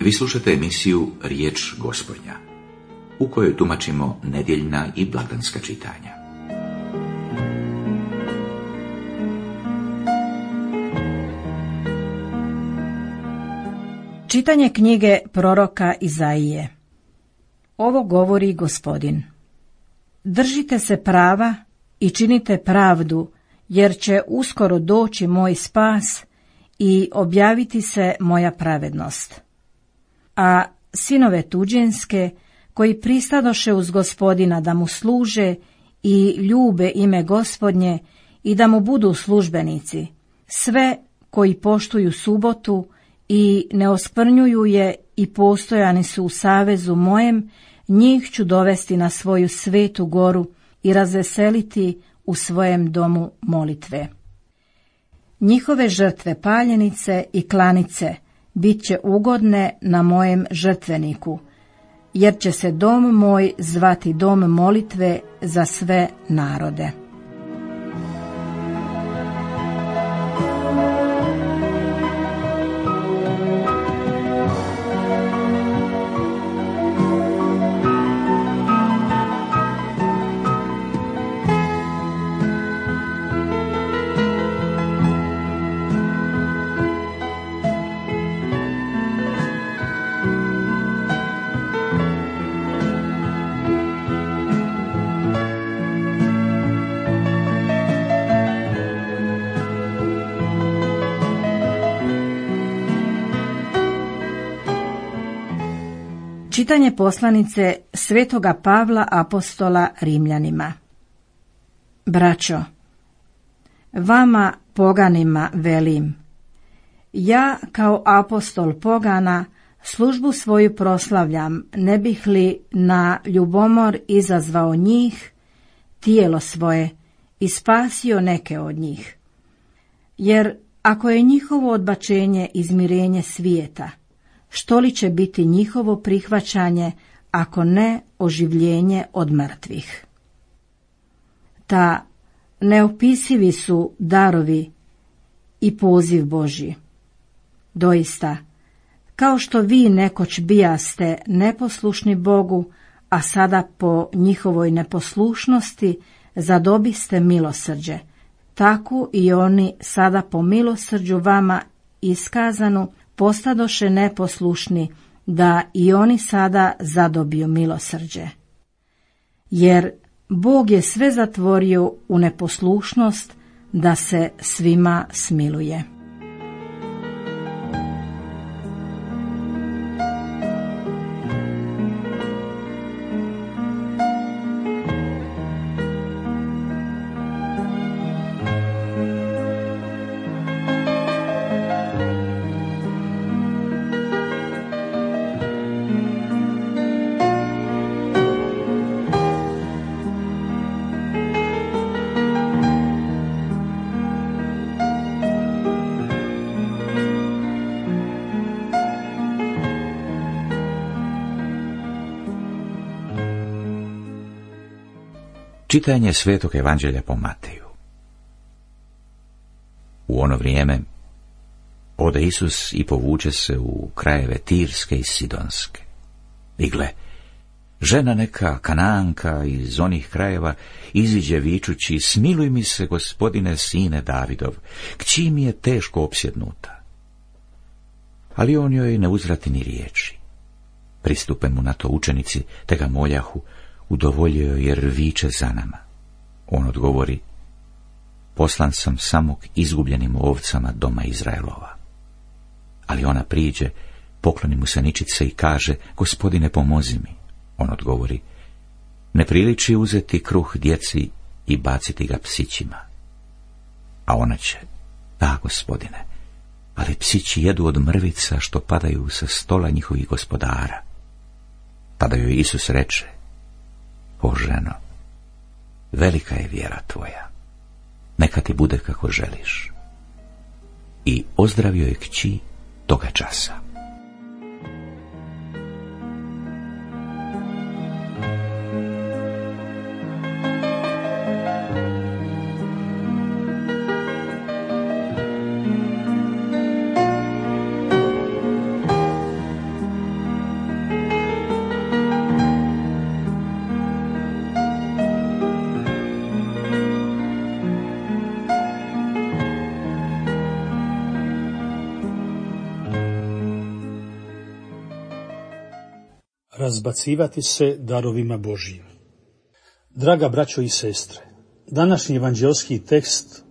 Vi slušate emisiju Riječ Gospodnja, u kojoj tumačimo nedjeljna i blagdanska čitanja. Čitanje knjige proroka Izaije. Ovo govori Gospodin. Držite se prava i činite pravdu, jer će uskoro doći moj spas i objaviti se moja pravednost. A sinove tuđinske, koji pristadoše uz Gospodina da mu služe i ljube ime Gospodnje i da mu budu službenici, sve koji poštuju subotu i ne oskvrnjuju je i postojani su u savezu mojem, njih ću dovesti na svoju svetu goru i razveseliti u svojem domu molitve. Njihove žrtve paljenice i klanice bit će ugodne na mojem žrtveniku, jer će se dom moj zvati dom molitve za sve narode. Čitanje poslanice Svetoga Pavla apostola Rimljanima. Braćo, vama poganima velim, ja kao apostol pogana službu svoju proslavljam, ne bih li na ljubomor izazvao njih, tijelo svoje, i spasio neke od njih. Jer ako je njihovo odbačenje izmirenje svijeta, što li će biti njihovo prihvaćanje, ako ne oživljenje od mrtvih? Ta neopisivi su darovi i poziv Božji. Doista, kao što vi nekoć bijaste neposlušni Bogu, a sada po njihovoj neposlušnosti zadobiste milosrđe, tako i oni sada po milosrđu vama iskazanu postadoše neposlušni, da i oni sada zadobiju milosrđe. Jer Bog je sve zatvorio u neposlušnost, da se svima smiluje. Čitanje Svetog Evanđelja po Mateju. U ono vrijeme ode Isus i povuče se u krajeve Tirske i Sidonske. I gle, žena neka Kanaanka iz onih krajeva iziđe vičući: smiluj mi se, Gospodine, sine Davidov, kći mi je teško opsjednuta. Ali on joj ne uzvrati ni riječi. Pristupe mu na to učenici, te ga moljahu: udovoljio jer viče za nama. On odgovori: poslan sam samo k izgubljenim ovcama doma Izraelova. Ali ona priđe, pokloni mu se ničice i kaže: Gospodine, pomozi mi. On odgovori: ne priliči uzeti kruh djeci i baciti ga psićima. A ona će: da, Gospodine, ali psići jedu od mrvica što padaju sa stola njihovih gospodara. Tada joj Isus reče: o ženo, velika je vjera tvoja, neka ti bude kako želiš. I ozdravio je kći toga časa. razbacivati se darovima Božjim. Draga braćo i sestre, današnji evanđeoski tekst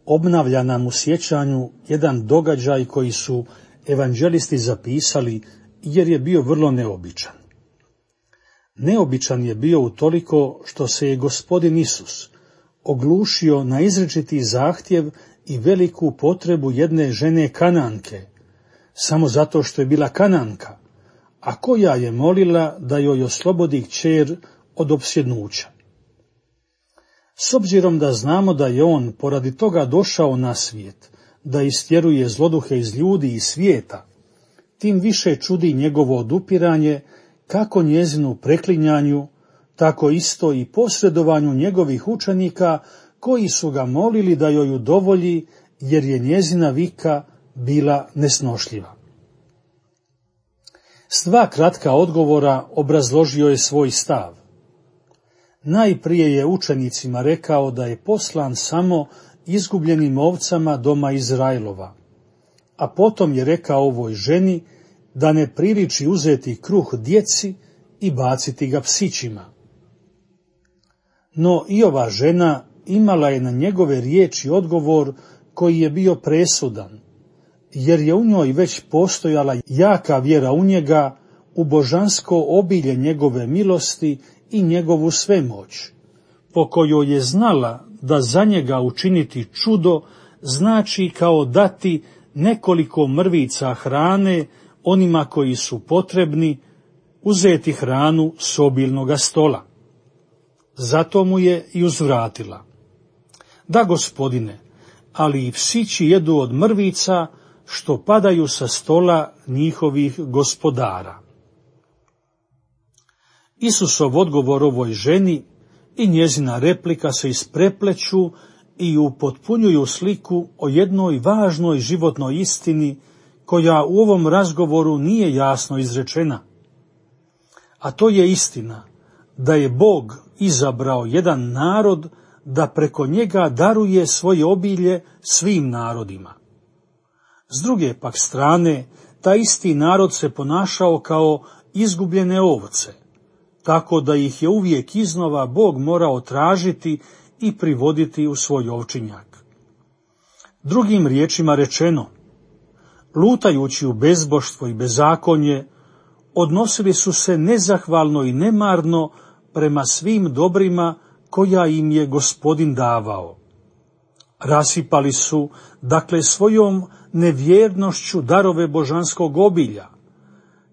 obnavlja nam u sjećanju jedan događaj koji su evanđelisti zapisali jer je bio vrlo neobičan. Neobičan je bio utoliko što se je Gospodin Isus oglušio na izričiti zahtjev i veliku potrebu jedne žene Kananke, samo zato što je bila Kananka, a koja je molila da joj oslobodi kćer od opsjednuća. S obzirom da znamo da je on poradi toga došao na svijet, da istjeruje zloduhe iz ljudi i svijeta, tim više čudi njegovo odupiranje kako njezinu preklinjanju, tako isto i posredovanju njegovih učenika koji su ga molili da joj udovolji jer je njezina vika bila nesnošljiva. S dva kratka odgovora obrazložio je svoj stav. Najprije je učenicima rekao da je poslan samo izgubljenim ovcama doma Izraelova, a potom je rekao ovoj ženi da ne priliči uzeti kruh djeci i baciti ga psićima. No i ova žena imala je na njegove riječi odgovor koji je bio presudan, jer je u njoj već postojala jaka vjera u njega, u božansko obilje njegove milosti i njegovu svemoć, po kojoj je znala da za njega učiniti čudo znači kao dati nekoliko mrvica hrane onima koji su potrebni, uzeti hranu s obilnoga stola. Zato mu je i uzvratila: da, Gospodine, ali i psići jedu od mrvica što padaju sa stola njihovih gospodara. Isusov odgovor ovoj ženi i njezina replika se isprepleću i upotpunjuju sliku o jednoj važnoj životnoj istini koja u ovom razgovoru nije jasno izrečena. A to je istina da je Bog izabrao jedan narod da preko njega daruje svoje obilje svim narodima. S druge pak strane, taj isti narod se ponašao kao izgubljene ovce, tako da ih je uvijek iznova Bog morao tražiti i privoditi u svoj ovčinjak. Drugim riječima rečeno, lutajući u bezboštvo i bezakonje, odnosili su se nezahvalno i nemarno prema svim dobrima koja im je Gospodin davao. Rasipali su, dakle, svojom nevjernošću darove božanskog obilja,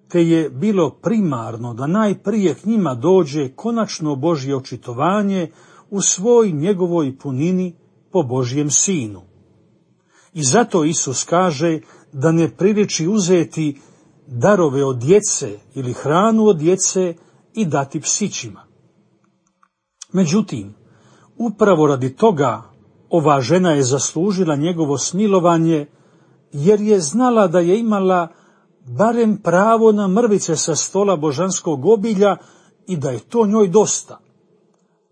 te je bilo primarno da najprije k njima dođe konačno Božje očitovanje u svoj njegovoj punini po Božjem Sinu. I zato Isus kaže da ne priliči uzeti darove od djece ili hranu od djece i dati psićima. Međutim, upravo radi toga ova žena je zaslužila njegovo smilovanje, jer je znala da je imala barem pravo na mrvice sa stola božanskog obilja i da je to njoj dosta,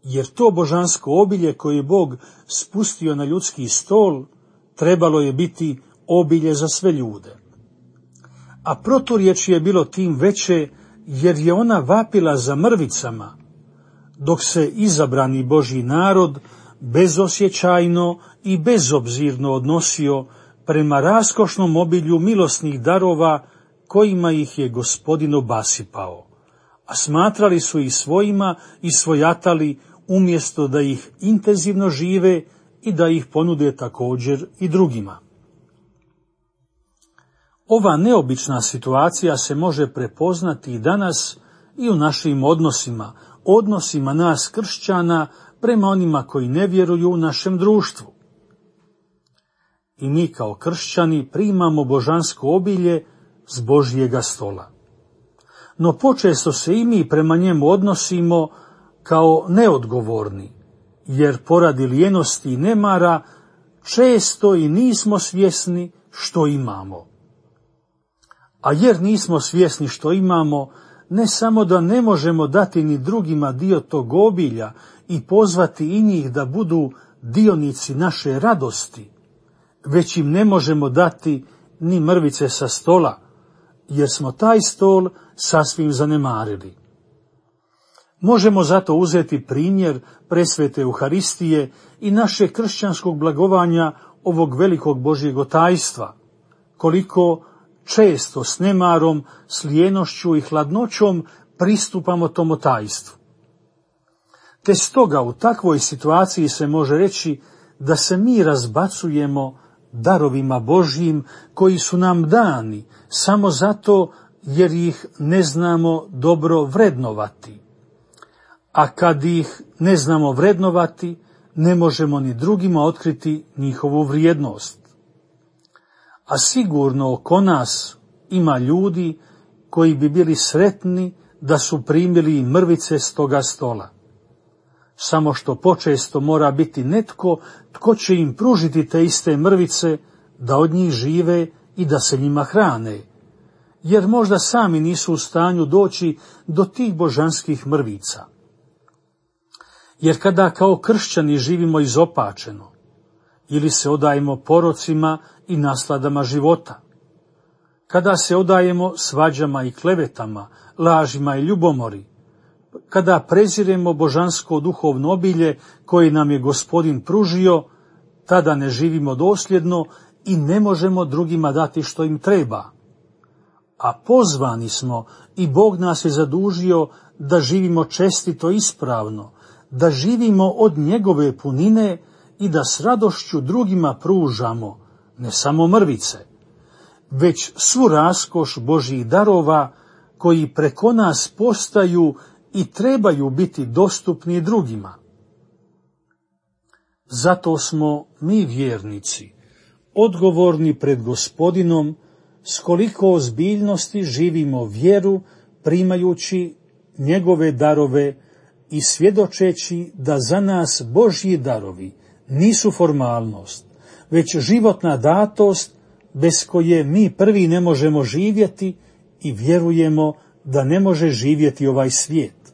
jer to božansko obilje koje je Bog spustio na ljudski stol trebalo je biti obilje za sve ljude. A proturječje je bilo tim veće jer je ona vapila za mrvicama, dok se izabrani Božji narod bezosjećajno i bezobzirno odnosio prema raskošnom obilju milosnih darova kojima ih je Gospodin obasipao, a smatrali su ih svojima i svojatali umjesto da ih intenzivno žive i da ih ponude također i drugima. Ova neobična situacija se može prepoznati i danas i u našim odnosima nas kršćana prema onima koji ne vjeruju u našem društvu. I mi kao kršćani primamo božansko obilje s Božjega stola. No počesto se i mi prema njemu odnosimo kao neodgovorni, jer poradi lijenosti i nemara često i nismo svjesni što imamo. A jer nismo svjesni što imamo, ne samo da ne možemo dati ni drugima dio tog obilja i pozvati i njih da budu dionici naše radosti, već im ne možemo dati ni mrvice sa stola, jer smo taj stol sasvim zanemarili. Možemo zato uzeti primjer presvete Euharistije i našeg kršćanskog blagovanja ovog velikog Božjeg tajstva, koliko često s nemarom, s lijenošću i hladnoćom pristupamo tomu tajstvu. Te stoga u takvoj situaciji se može reći da se mi razbacujemo darovima Božjim koji su nam dani samo zato jer ih ne znamo dobro vrednovati. A kad ih ne znamo vrednovati, ne možemo ni drugima otkriti njihovu vrijednost. A sigurno oko nas ima ljudi koji bi bili sretni da su primili mrvice s toga stola. Samo što počesto mora biti netko tko će im pružiti te iste mrvice da od njih žive i da se njima hrane, jer možda sami nisu u stanju doći do tih božanskih mrvica. Jer kada kao kršćani živimo izopačeno, ili se odajemo porocima i nasladama života, kada se odajemo svađama i klevetama, lažima i ljubomori, kada preziremo božansko duhovno obilje koje nam je Gospodin pružio, tada ne živimo dosljedno i ne možemo drugima dati što im treba. A pozvani smo i Bog nas je zadužio da živimo čestito i ispravno, da živimo od njegove punine i da s radošću drugima pružamo ne samo mrvice, već svu raskoš Božjih darova koji preko nas postaju i trebaju biti dostupni drugima. Zato smo mi vjernici odgovorni pred Gospodinom s koliko ozbiljnosti živimo vjeru primajući njegove darove i svjedočeći da za nas Božji darovi nisu formalnost, već životna datost bez koje mi prvi ne možemo živjeti i vjerujemo da ne može živjeti ovaj svijet.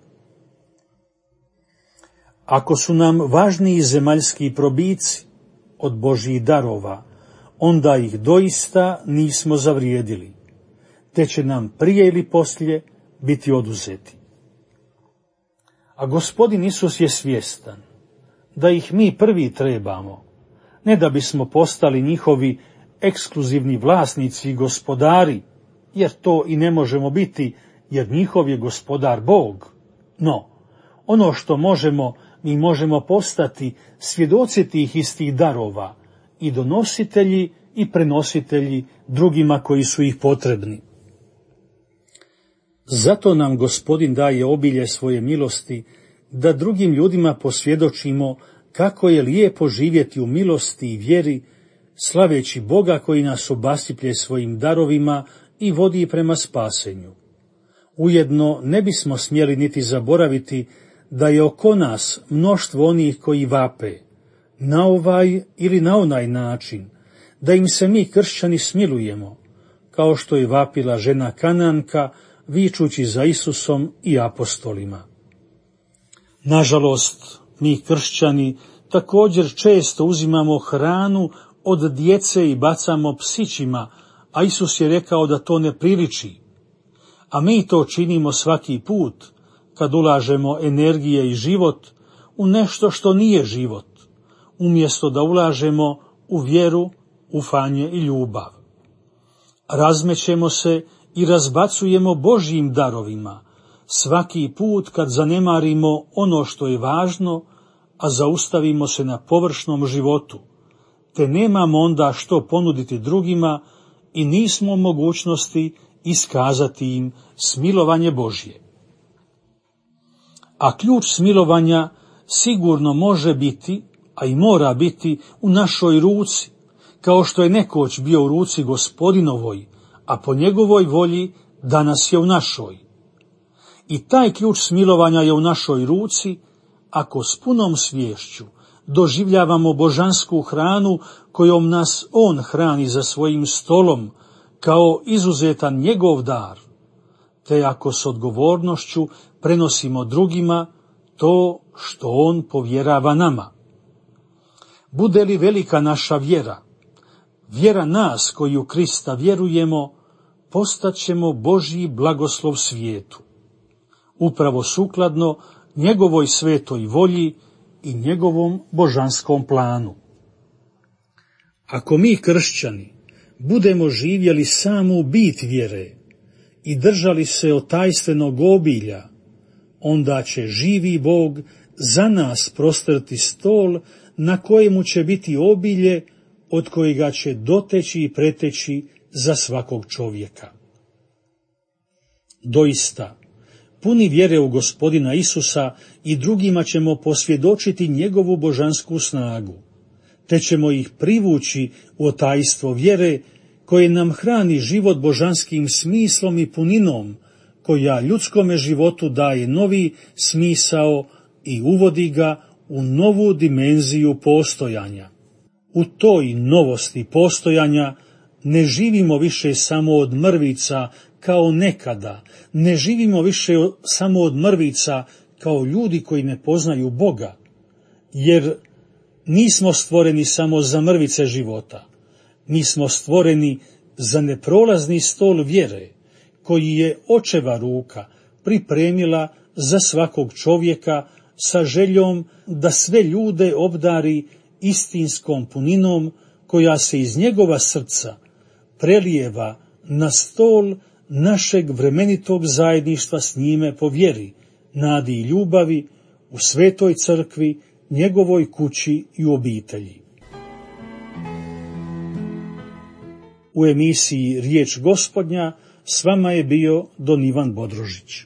Ako su nam važniji zemaljski probici od Božjih darova, onda ih doista nismo zavrijedili, te će nam prije ili poslije biti oduzeti. A Gospodin Isus je svjestan da ih mi prvi trebamo, ne da bismo postali njihovi ekskluzivni vlasnici i gospodari, jer to i ne možemo biti, jer njihov je gospodar Bog. No, ono što možemo, mi možemo postati svjedoci tih istih darova i donositelji i prenositelji drugima koji su ih potrebni. Zato nam Gospodin daje obilje svoje milosti, da drugim ljudima posvjedočimo kako je lijepo živjeti u milosti i vjeri, slaveći Boga koji nas obasiplje svojim darovima i vodi prema spasenju. Ujedno ne bismo smjeli niti zaboraviti da je oko nas mnoštvo onih koji vape, na ovaj ili na onaj način, da im se mi kršćani smilujemo, kao što je vapila žena Kananka, vičući za Isusom i apostolima. Nažalost, mi kršćani također često uzimamo hranu od djece i bacamo psićima, a Isus je rekao da to ne priliči. A mi to činimo svaki put, kad ulažemo energije i život u nešto što nije život, umjesto da ulažemo u vjeru, ufanje i ljubav. Razmećemo se i razbacujemo Božjim darovima, svaki put kad zanemarimo ono što je važno, a zaustavimo se na površnom životu, te nemamo onda što ponuditi drugima i nismo u mogućnosti iskazati im smilovanje Božje. A ključ smilovanja sigurno može biti, a i mora biti, u našoj ruci, kao što je nekoć bio u ruci Gospodinovoj, a po njegovoj volji danas je u našoj. I taj ključ smilovanja je u našoj ruci, ako s punom sviješću doživljavamo božansku hranu kojom nas on hrani za svojim stolom, kao izuzetan njegov dar, te ako s odgovornošću prenosimo drugima to što on povjerava nama. Bude li velika naša vjera, vjera nas koji u Krista vjerujemo, postaćemo Božji blagoslov svijetu, upravo sukladno njegovoj svetoj volji i njegovom božanskom planu. Ako mi, kršćani, budemo živjeli samu bit vjere i držali se otajstvenog obilja, onda će živi Bog za nas prostrti stol na kojemu će biti obilje od kojega će doteći i preteći za svakog čovjeka. Doista, puni vjere u Gospodina Isusa i drugima ćemo posvjedočiti njegovu božansku snagu, te ćemo ih privući u otajstvo vjere koje nam hrani život božanskim smislom i puninom, koja ljudskome životu daje novi smisao i uvodi ga u novu dimenziju postojanja. U toj novosti postojanja ne živimo više samo od mrvica kao nekada, ne živimo više samo od mrvica kao ljudi koji ne poznaju Boga, jer nismo stvoreni samo za mrvice života, mi smo stvoreni za neprolazni stol vjere, koji je očeva ruka pripremila za svakog čovjeka sa željom da sve ljude obdari istinskom puninom koja se iz njegova srca prelijeva na stol našeg vremenitog zajedništva s njime po vjeri, nadi i ljubavi u svetoj crkvi, njegovoj kući i obitelji. U emisiji Riječ Gospodnja s vama je bio don Ivan Bodrožić.